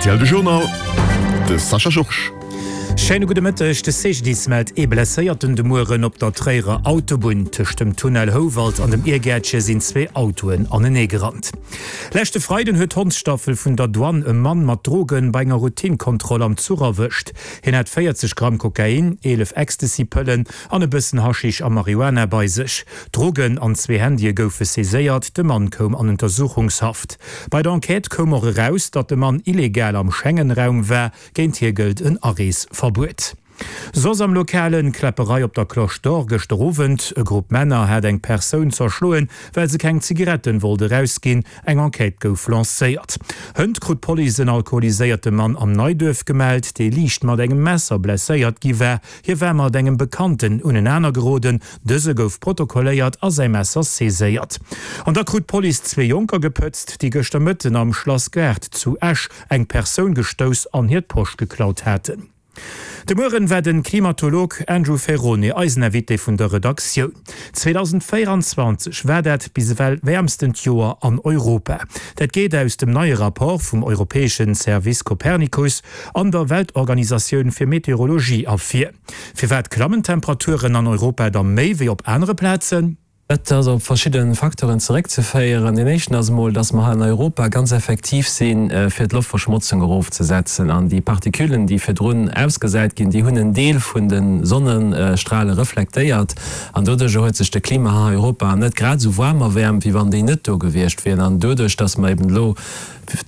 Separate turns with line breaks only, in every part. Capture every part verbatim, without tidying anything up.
R T L de Journal, de Sascha Georges.
Schéine gudde Mëtteg, De C G D I S mellt ee Blesséierten de Mueren op der Tréierer Autobunn. Tëscht dem Tunnel Houwald an dem Irgäertche sinn zwee Autoen aneneegerannt. Leschte Freiden huet d'Hondsstaffel vun der Douane e Mann mat Drogen bei enger Routine-Kontroll am Zuch erwëscht. Hien hat véierzeg Gramm Kokain, eelef Ecstasy-Pëllen an e bëssen Haschisch a Marihuana bei sech. Drogen an zwee Handye goufe saiséiert, de Mann koum an Untersuchungshaft. Bei der Enquête koum och eraus, datt de Mann illegal am Schengen-Raum war, géint hie gëllt en Areesverbuet. Soss am Lokalen, Kläpperei op der Cloche d'Or gëschter Owend, E Grupp Männer hat eng Persoun zerschloen, well se keng Zigaretten wollt erausginn. Eng Enquête gouf lancéiert. Hënt krut d'Police en alkoholiséierte Mann am Neiduerf gemellt, dee liicht mat engem Messer blesséiert gi war. Hie war mat engem Bekannten unenaner geroden, dëse gouf protokolléiert a säi Messer saiséiert. An da krut d'Police zwee Jonker gepëtzt, déi gëschter Mëtten am Schlassgaart zu Esch eng Persoun gestouss an hir d'Posch geklaut haten. De Mueren war den Klimatolog Andrew Ferrone eisen Invité vun der Redaktioun. zweedausendvéieranzwanzeg war dat bis ewell wäermstent Joer an Europa. Dat geet aus dem neie Rapport vum europäeschen Service Copernicus an der Weltorganisatioun fir Meteorologie ervir. Firwat klammen d'Temperaturen an Europa da méi wéi op anere Plazen?
Dat ass op verschidde Facteuren zeréckzeféieren. Deen éischten ass emol, dass mer hei an Europa ganz effektiv sinn, fir d'Loftverschmotzung erofzesetzen. An déi Particullen, déi virdrun ausgesäit ginn, déi hunn en Deel vun de Sonnestrale reflektéiert. An doduerjer huet sech de Klima hei an Europa net grad esou waarm erwäermt, wéi wann déi net do gewiescht wieren. An doduerch, dass mer eben elo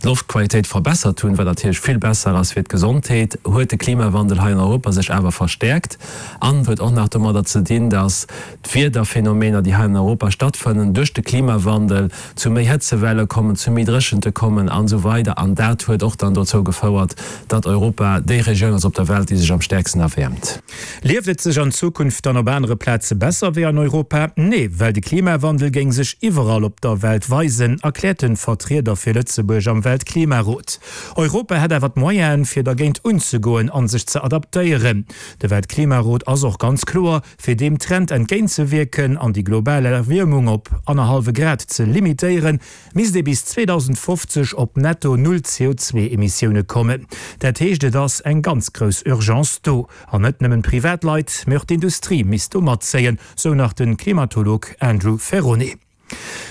d'Loftqualitéit verbessert hunn, wat natierlech vill besser ass fir d'Gesondheet, huet de Klimawandel hei an Europa sech awer verstäerkt an huet och nach domadder ze dinn, dass d'Wiederphänomener, déi hei an Europa stattfënnen, duerch de Klimawandel zu méi Hëtzewelle kommen, zu méi Dréchente kommen an esou weider. An dat huet och dann dozou gefouert, datt Europa déi Regioun ass op der Welt, déi sech am stäerksten erwäermt.
Lieft et sech an Zukunft dann op anere Plaze besser wéi an Europa? Nee, well de Klimawandel géing sech iwwerall op der Welt weisen, erkläert de Vertrieder fir Lëtzebuerg am Weltklimarot. Europa hätt awer d'Moyenen, fir dergéint unzegoen a sech ze adaptéieren. De Weltklimarot ass och ganz kloer, Fir deem Trend entgéintzewierken an déi global Erwiermung op annerhallwe Grad ze limitéieren, misst ee bis zweedausendfofzeg op netto null C O zwee Emissioune kommen. Dat heescht, et ass eng ganz grouss Urgence do. An net nëmmen d'Privatleit, mee och d'Industrie misst do matzéien, sou nach de Klimatolog Andrew Ferrone.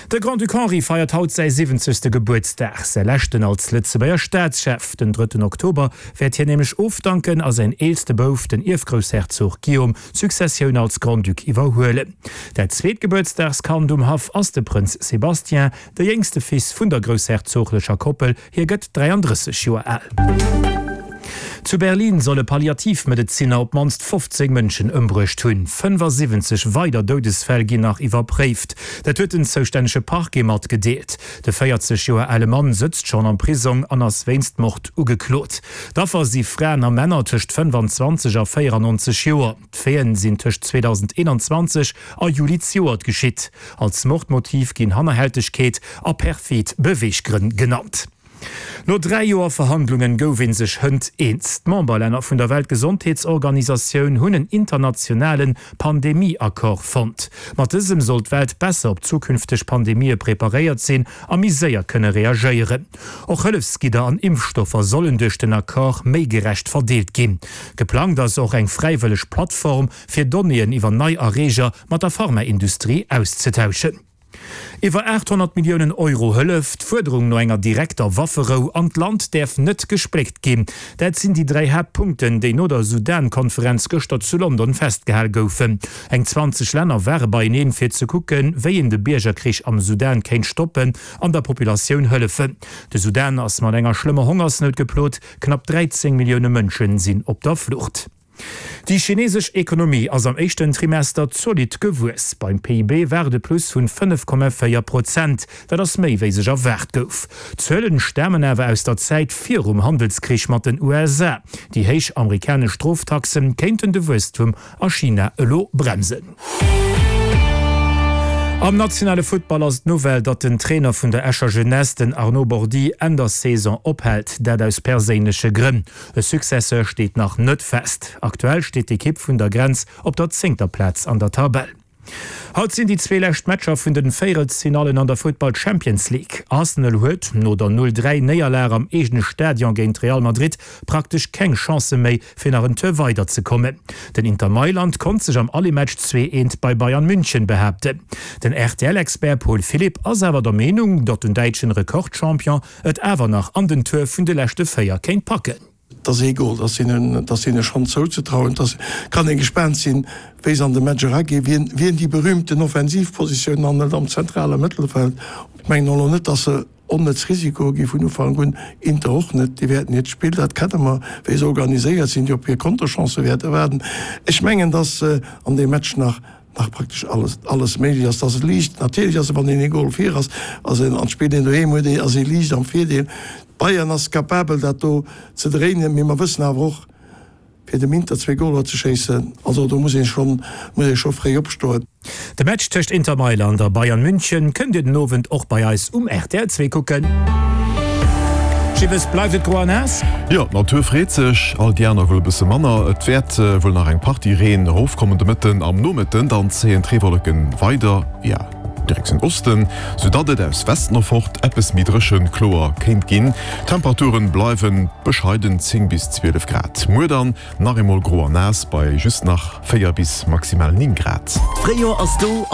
De Grand-Duc Henri feiert haut säi siwwenzegste Gebuertsdag, säi leschten als Lëtzebuerger Staatschef. Den drëtten Oktober wäert hien nämlech ofdanken a säin eelste Bouf, den Ierfgroussherzog Guillaume, d'Successioun als Grand-Duc iwwerhuelen. Dat zweet Gebuertsdagskand um Haff ass de Prënz Sébastien, de jéngste Fils vun der groussherzoglecher Koppel. Hie gëtt dräiandrësseg Joer al. Zu Berlin soll e Palliativmedezinner op d'mannst fofzéng Mënschen ëmbruecht hunn. Fënnfasiwwenzeg weider Doudesfäll ginn nach iwwerpréift. Dat huet den zoustännege Parquet matgedeelt. De véierzeg Joer ale Mann sëtzt schonn am Prisong an ass wéinst Mord ugeklot. D'Affer si Fraen a Männer tëscht fënnfanzwanzeg a véierannonzeg Joer. D'Faiten sinn tëscht zweedausendeenanzwanzeg a Juli zejoert geschitt. Als Mordmotiv ginn Hannerhältegkeet a perfid Beweeggrënn genannt. No dräi Joer Verhandlungen gouf ee sech hënt eens. D'Memberlänner vun der Weltgesondheetsorganisatioun hunn en internationale Pandemie-Accord fonnt. Mat dësem soll d'Welt besser op zukünfteg Pandemië preparéiert sinn a méi séier kënne reagéieren. Och Hëllefsgidder an Impfstoffer sollen duerch den Accord méi gerecht verdeelt ginn. Geplangt ass och eng fräiwëlleg Plattform, fir Donnéeën iwwer nei Erreeger mat der Pharmaindustrie auszetauschen. Iwwer aathonnert Milliounen Euro Hëllef, d'Fuerderung no enger direkter Wafferou an d'Land däerf net gespléckt ginn, dat sinn déi dräi Haaptpunkten, déi no der Sudan-Konferenz gëschter zu London festgehal goufen. Eng zwanzeg Länner ware beieneen, fir ze kucken, wéi een de Biergerkrich am Sudan kéint stoppen an der Populatioun hëllefen. De Sudan ass mat enger schlëmmer Hongersnout geplot, knapp dräizéng Millioune Mënsche sinn op der Flucht. Déi chinesesch Ekonomie ass am éischten Trimester zolidd gewuess. Beim P I B war et e Plus vun fënnef Komma véier Prozent. Dat ass méi wéi sech erwaart gouf. D'Zuelen stamen awer aus der Zäit virum Handelskrich mat den U S A. Déi héich amerikanesch Stroftaxe kéinten de Wuesstum a China elo bremsen. Am nationale Futtball ass et d'Nouvelle, datt den Trainer vun der Escher Jeunesse, den Arnaud Bordi, Enn der Saison ophält. Dat aus perséinleche Grënn. E Successeur steet nach net fest. Aktuell steet d'Ekipp vun der Grenz op der zéngter Plaz an der Tabell. Haut sinn déi zwee lescht Matcher vun den Véierelsfinallen an der Futtball Champions League. Arsenal huet no der Null dräi Néierlag am eegene Stadion géint Real Madrid praktesch keng Chancë méi fir nach en Tour weider ze kommen. Den Inter Mailand konnt sech am Aller-Match zwee eent bei Bayern München behaapten. Den R T L-Expert Paul Philipp ass awer der Meenung, datt den däitschen Rekordchampion et awer nach an den Tour vun de leschte véier kéint packen.
Et ass ee Gol, dat ass hinnen, dat ass hinne schonn zouzetrauen. Et kann ee gespaant sinn, wéi se an de Match eraginn, wien, wien déi berühmten Offensivpositiounen anhëlt am zentrale Mëttelfeld. Ech mengen och elo net, datt se onnëtz Risikoe gi vun Ufank un, Inter och net. Déi wäerten hiert Spill, dat kenne mer, wéi se organiséiert sinn, déi op hir Konterchancë wäerte waarden. Ech mengen, datt an deem Match nach, nach praktesch alles, alles méiglech ass. Datt et liicht, natierlech ass et, wann een ee Gol vir ass, ass een, an d'Spill een doheem huet, ass ee liicht am Virdeel. Bayern ass capabel dat do ze dréinen, mee mer wëssen awer och, fir dem Inter zwee Goler ze schéissen, also do muss ee schonn, muss ee scho fréi opstoen.
De Match tëscht Inter Mailand a Bayern München kënnt Dir den Owend och bei eis um rtl zwee kucken. Gibbes, bleift et gro a naass?
Jo, d'Natur freet sech, all déi aner wuel e bësse manner. Et wäert wuel nach eng Partie Reen erofkommen de Mëtten. Am Nomëtten dann zéien d'Reewolleke weider via Direktioun Osten, soudatt et aus Westen erfort eppes méi dréchen kloer kéint ginn. D'Temperaturen bleiwe bescheiden zéng bis zwielef Grad. Muer dann nach eemol gro a naass bei just nach véier bis maximal néng Grad.
D'Fréijoer ass do.